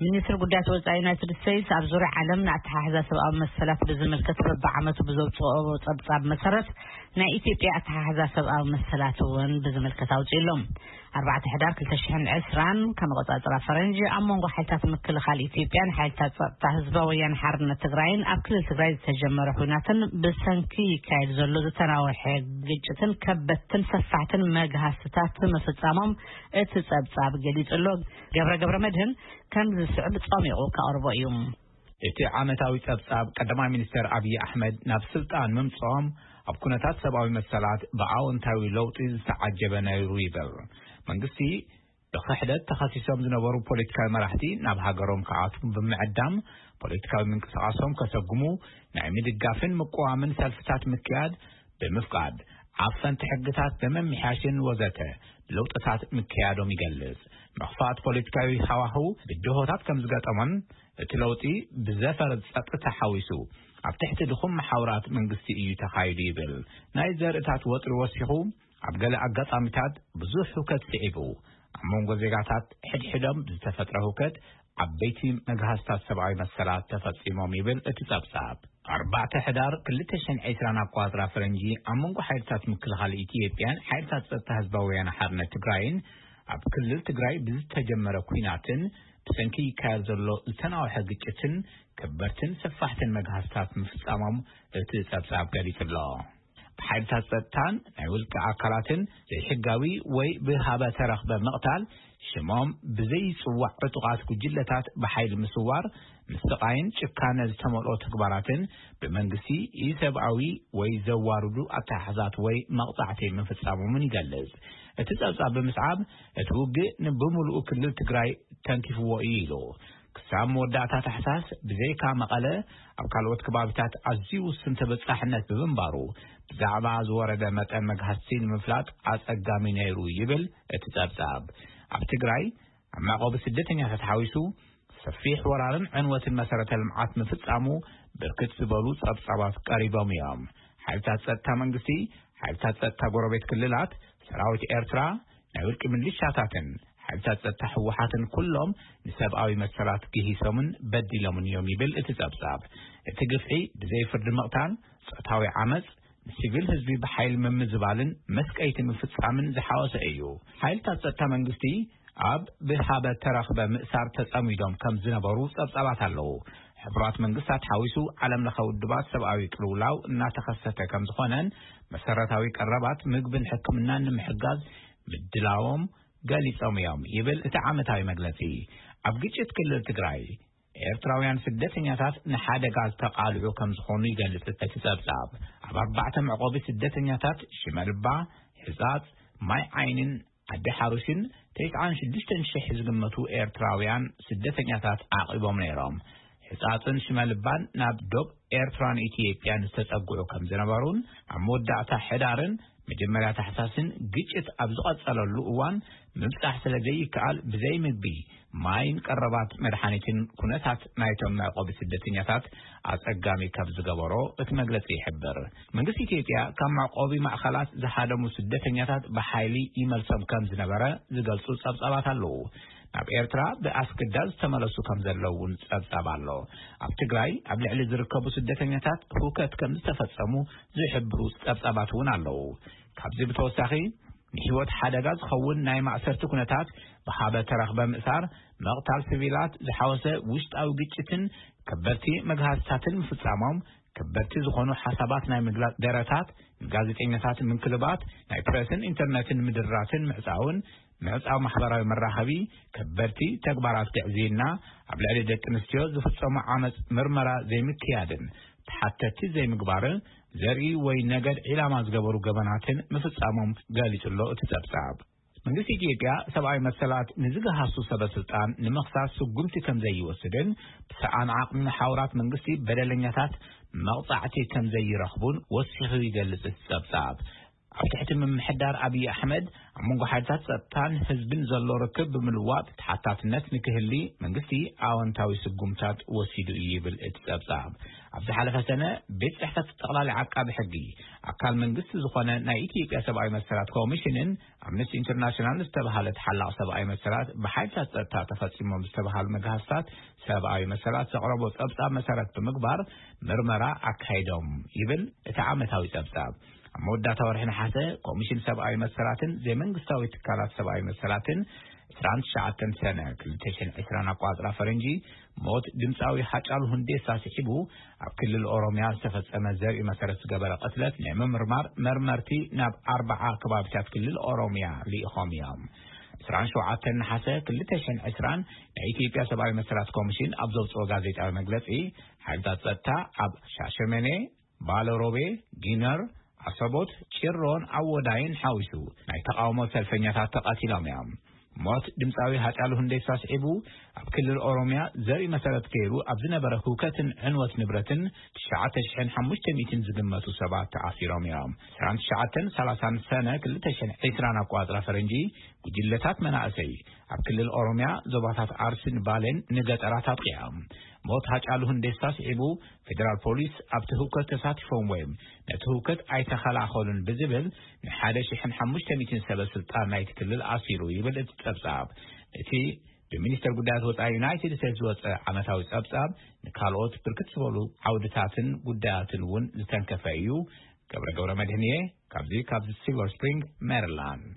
ሚኒስትሪ ጉዳያት ወጻኢ ዩናይትድ ስቴትስ ኣብ ዙርያ ዓለም ንኣተሓሕዛ ሰብኣዊ መሰላት ብዝምልከት በብዓመቱ ብዘውጽኦ ጸብጻብ መሰረት፣ ናይ ኢትዮጵያ ኣተሓሕዛ ሰብኣዊ መሰላት እውን ብዝምልከት ኣውጺኡ ኣሎ። ኣርባዕተ ሕዳር ክልተ ሽሕን ዕስራን ከም ኣቆጻጽራ ፈረንጂ፣ ኣብ መንጎ ሓይልታት ምክልኻል ኢትዮጵያን ሓይልታት ጸጥታ ህዝባዊ ወያነ ሓርነት ትግራይን ኣብ ክልል ትግራይ ዝተጀመረ ኲናትን ብሰንኪ ይካየድ ዘሎ ዝተናወሐ ግጭትን ከበድትን ሰፋሕትን መግሃስታት ምፍጻሞም እቲ ጸብጻብ ገሊጹ ኣሎ። ገብረ ገብረ መድህን ከም ዝስዕብ ጸሚቑ ከቕርቦ እዩ። እቲ ዓመታዊ ጸብጻብ ቀዳማይ ሚኒስተር ኣብይ ኣሕመድ ናብ ስልጣን ምምጽኦም ኣብ ኩነታት ሰብኣዊ መሰላት ብኣወንታዊ ለውጢ ዝተዓጀበ ነይሩ ይብል። መንግስቲ ብክሕደት ተኸሲሶም ዝነበሩ ፖለቲካዊ መራሕቲ ናብ ሃገሮም ክኣትዉ ብምዕዳም፣ ፖለቲካዊ ምንቅስቓሶም ከሰጉሙ፣ ናይ ምድጋፍን ምቅዋምን ሰልፍታት ምክያድ ብምፍቃድ፣ ዓፈንቲ ሕግታት ብምምሕያሽን ወዘተ ለውጥታት ምክያዶም ይገልጽ። ምኽፋት ፖለቲካዊ ሃዋህው ብድሆታት ከም ዝገጠሞን፣ እቲ ለውጢ ብዘፈር ጸጥታ ሓዊሱ ኣብ ትሕቲ ድኹም መሓውራት መንግስቲ እዩ ተኻይዱ ይብል። ናይ ዘርእታት ወጥሪ ወሲኹ፣ ኣብ ገለ ኣጋጣሚታት ብዙሕ ህውከት ስዒቡ፣ ኣብ መንጎ ዜጋታት ሕድሕዶም ብዝተፈጥረ ህውከት ዓበይቲ መግሃስታት ሰብኣዊ መሰላት ተፈጺሞም ይብል እቲ ጸብጻብ። ኣርባዕተ ሕዳር ክልተ ሽሕን ዕስራን ኣቋጽራ ፈረንጂ ኣብ መንጎ ሓይልታት ምክልኻል ኢትዮጵያን ሓይልታት ጸጥታ ህዝባዊ ወያነ ሓርነት ትግራይን ኣብ ክልል ትግራይ ብዝተጀመረ ኲናትን ብሰንኪ ይካየድ ዘሎ ዝተናውሐ ግጭትን ከበድትን ሰፋሕትን መግሃስታት ምፍጻሞም እቲ ጸብጻብ ገሊጹ ኣሎ። ብሓይልታት ጸጥታን ናይ ውልቂ ኣካላትን ዘይሕጋዊ ወይ ብሃበ ተረኽበ ምቕታል፣ ሽሞም ብዘይጽዋዕ ዕጡቓት ጉጅለታት ብሓይሊ ምስዋር፣ ምስቓይን ጭካነ ዝተመልኦ ተግባራትን ብመንግስቲ ኢሰብኣዊ ወይ ዘዋርዱ ኣተሓሕዛት ወይ መቕጻዕቲ ምፍጻሞምን ይገልጽ። እቲ ጸብጻብ ብምስዓብ፣ እቲ ውግእ ንብምሉኡ ክልል ትግራይ ተንኪፍዎ እዩ ኢሉ። ክሳብ መወዳእታ ታሕሳስ ብዘይካ መቐለ ኣብ ካልኦት ከባቢታት ኣዝዩ ውሱን ተበጻሕነት ብምንባሩ፣ ብዛዕባ ዝወረደ መጠን መግሃስቲ ንምፍላጥ ኣጸጋሚ ነይሩ ይብል እቲ ጸብጻብ። ኣብ ትግራይ ኣብ መዕቆቢ ስደተኛታት ሓዊሱ ሰፊሕ ወራርን ዕንወትን መሰረተ ልምዓት ምፍጻሙ ብርክት ዝበሉ ጸብጻባት ቀሪቦም እዮም። ሓይልታት ጸጥታ መንግስቲ፣ ሓይልታት ጸጥታ ጎረቤት ክልላት፣ ሰራዊት ኤርትራ፣ ናይ ውልቂ ምልሻታትን ሓይልታት ጸጥታ ህወሓትን ኩሎም ንሰብኣዊ መሰላት ግሂሶምን በዲሎምን እዮም ይብል እቲ ጸብጻብ። እቲ ግፍዒ ብዘይ ፍርዲ ምቕታል፣ ጾታዊ ዓመጽ፣ ንሲቪል ህዝቢ ብሓይሊ ምምዝባልን መስቀይቲ ምፍጻምን ዝሓወሰ እዩ። ሓይልታት ጸጥታ መንግስቲ ኣብ ብሃበ ተረኽበ ምእሳር ተጸሚዶም ከም ዝነበሩ ጸብጻባት ኣለዉ። ሕቡራት መንግስታት ሓዊሱ ዓለም ለኸ ውድባት ሰብኣዊ ቅልውላው እናተኸሰተ ከም ዝኾነን መሰረታዊ ቀረባት ምግብን ሕክምናን ንምሕጋዝ ምድላዎም ገሊጾም እዮም ይብል እቲ ዓመታዊ መግለጺ። ኣብ ግጭት ክልል ትግራይ ኤርትራውያን ስደተኛታት ንሓደጋ ዝተቓልዑ ከም ዝኾኑ ይገልጽ እቲ ጸብጻብ። ኣብ ኣርባዕተ መዕቆቢ ስደተኛታት ሽመልባ፣ ሕጻጽ፣ ማይ ዓይንን ዓዲ ሓሩሽን ተስዓን ሽዱሽተን ሽሕ ዝግመቱ ኤርትራውያን ስደተኛታት ዓቒቦም ነይሮም። ሕጻጽን ሽመልባን ናብ ዶብ ኤርትራን ኢትዮጵያን ዝተጸግዑ ከም ዝነበሩን ኣብ መወዳእታ ሕዳርን መጀመርያ ታሕሳስን ግጭት ኣብ ዝቐጸለሉ እዋን ምብጻሕ ስለ ዘይከኣል ብዘይ ምግቢ፣ ማይን ቀረባት መድሓኒትን ኩነታት ናይቶም መዕቆቢ ስደተኛታት ኣጸጋሚ ካብ ዝገበሮ እቲ መግለጺ ይሕብር። መንግስቲ ኢትዮጵያ ካብ መዕቆቢ ማእከላት ዝሃደሙ ስደተኛታት ብሓይሊ ይመልሶም ከም ዝነበረ ዝገልጹ ጸብጻባት ኣለዉ። ናብ ኤርትራ ብኣስገዳድ ዝተመለሱ ከም ዘለዉ እውን ጸብጻብ ኣሎ። ኣብ ትግራይ ኣብ ልዕሊ ዝርከቡ ስደተኛታት ህውከት ከም ዝተፈጸሙ ዝሕብሩ ጸብጻባት እውን ኣለዉ። ካብዚ ብተወሳኺ ንህይወት ሓደጋ ዝኸውን ናይ ማእሰርቲ ኩነታት፣ ብሃበ ተረኽበ ምእሳር፣ ምቕታል ሲቪላት ዝሓወሰ ውሽጣዊ ግጭትን ከበድቲ መግሃስታትን ምፍጻሞም፣ ከበድቲ ዝኾኑ ሓሳባት ናይ ምግላጽ ደረታት፣ ንጋዜጠኛታት ምንክልባት፣ ናይ ፕረስን ኢንተርነትን ምድራትን ምዕጻውን፣ ምዕጻው ማሕበራዊ መራኸቢ፣ ከበድቲ ተግባራት ግዕዝይና፣ ኣብ ልዕሊ ደቂ ኣንስትዮ ዝፍጸሙ ዓመጽ ምርመራ ዘይምክያድን ተሓተቲ ዘይምግባርን፣ ዘርኢ ወይ ነገድ ዒላማ ዝገበሩ ገበናትን ምፍጻሞም ገሊጹ ኣሎ እቲ ጸብጻብ። መንግስቲ ኢትዮጵያ ሰብኣዊ መሰላት ንዝገሃሱ ሰበ ስልጣን ንምኽሳስ ስጉምቲ ከም ዘይወስድን ብሰኣን ዓቕሚ መሓውራት መንግስቲ በደለኛታት መቕጻዕቲ ከም ዘይረኽቡን ወሲኹ ይገልጽ እቲ ጸብጻብ። ኣብ ትሕቲ ምምሕዳር ኣብይ ኣሕመድ ኣብ መንጎ ሓይልታት ጸጥታን ህዝብን ዘሎ ርክብ ብምልዋጥ ተሓታትነት ንክህሊ መንግስቲ ኣወንታዊ ስጉምታት ወሲዱ እዩ ይብል እቲ ጸብጻብ። ኣብ ዝሓለፈ ሰነ ቤት ጽሕፈት ጠቕላሊ ዓቃቢ ሕጊ ኣካል መንግስቲ ዝኾነ ናይ ኢትዮጵያ ሰብኣዊ መሰላት ኮሚሽንን ኣምነስቲ ኢንተርናሽናል ዝተባሃለ ተሓላቕ ሰብኣዊ መሰላት ብሓይልታት ጸጥታ ተፈጺሞም ዝተባሃሉ መግሃስታት ሰብኣዊ መሰላት ዘቕረቦ ጸብጻብ መሰረት ብምግባር ምርመራ ኣካይዶም ይብል እቲ ዓመታዊ ጸብጻብ። ኣብ መወዳእታ ወርሒ ነሓሰ ኮሚሽን ሰብኣዊ መሰላትን ዘይመንግስታዊ ትካላት ሰብኣዊ መሰላትን ዕስራን ትሽዓተን ሰነ ክልተ ሽሕን ዕስራን ኣቋጽራ ፈረንጂ ሞት ድምፃዊ ሃጫሉ ሁንዴሳ ስዒቡ ኣብ ክልል ኦሮሚያ ዝተፈጸመ ዘርኢ መሰረት ዝገበረ ቅትለት ናይ ምምርማር መርመርቲ ናብ ኣርባዓ ከባቢታት ክልል ኦሮሚያ ልኢኾም እዮም። ዕስራን ሸውዓተን ነሓሰ ክልተ ሽሕን ዕስራን ናይ ኢትዮጵያ ሰብኣዊ መሰላት ኮሚሽን ኣብ ዘውፅኦ ጋዜጣዊ መግለፂ ሓይልታት ጸጥታ ኣብ ሻሸመኔ፣ ባለሮቤ፣ ጊነር፣ ኣሰቦት፣ ጭሮን ኣወዳይን ሓዊሱ ናይ ተቓውሞ ሰልፈኛታት ተቐቲሎም እዮም። ሞት ድምፃዊ ሃጫሉ ሁንዴሳ ስዒቡ ኣብ ክልል ኦሮሚያ ዘርኢ መሰረት ገይሩ ኣብ ዝነበረ ህውከትን ዕንወት ንብረትን ትሽዓተ ሽሕን ሓሙሽተ ሚእትን ዝግመቱ ሰባት ተኣሲሮም እዮም። ዕስራን ትሽዓተን ሰላሳን ሰነ ክልተ ሽሕን ዕስራን ኣቋጽራ ፈረንጂ ጉጅለታት መናእሰይ ኣብ ክልል ኦሮሚያ ዞባታት ዓርሲን ባሌን ንገጠራት ኣጥቂዖም። ሞት ሃጫሉ ሁንዴሳ ስዒቡ ፌደራል ፖሊስ ኣብቲ ህውከት ተሳቲፎም ወይም ነቲ ህውከት ኣይተኸላኸሉን ብዝብል ንሓደ ሽሕን ሓሙሽተ ሚእትን ሰበ ስልጣን ናይቲ ክልል ኣሲሩ ይብል እቲ ጸብጻብ። እቲ ብሚኒስተር ጉዳያት ወጻኢ ዩናይትድ ስቴትስ ዝወጸ ዓመታዊ ጸብጻብ ንካልኦት ብርክት ዝበሉ ዓውድታትን ጉዳያትን እውን ዝተንከፈ እዩ። ገብረ ገብረ መድህንየ ካብዚ ካብ ሲልቨር ስፕሪንግ ሜሪላንድ።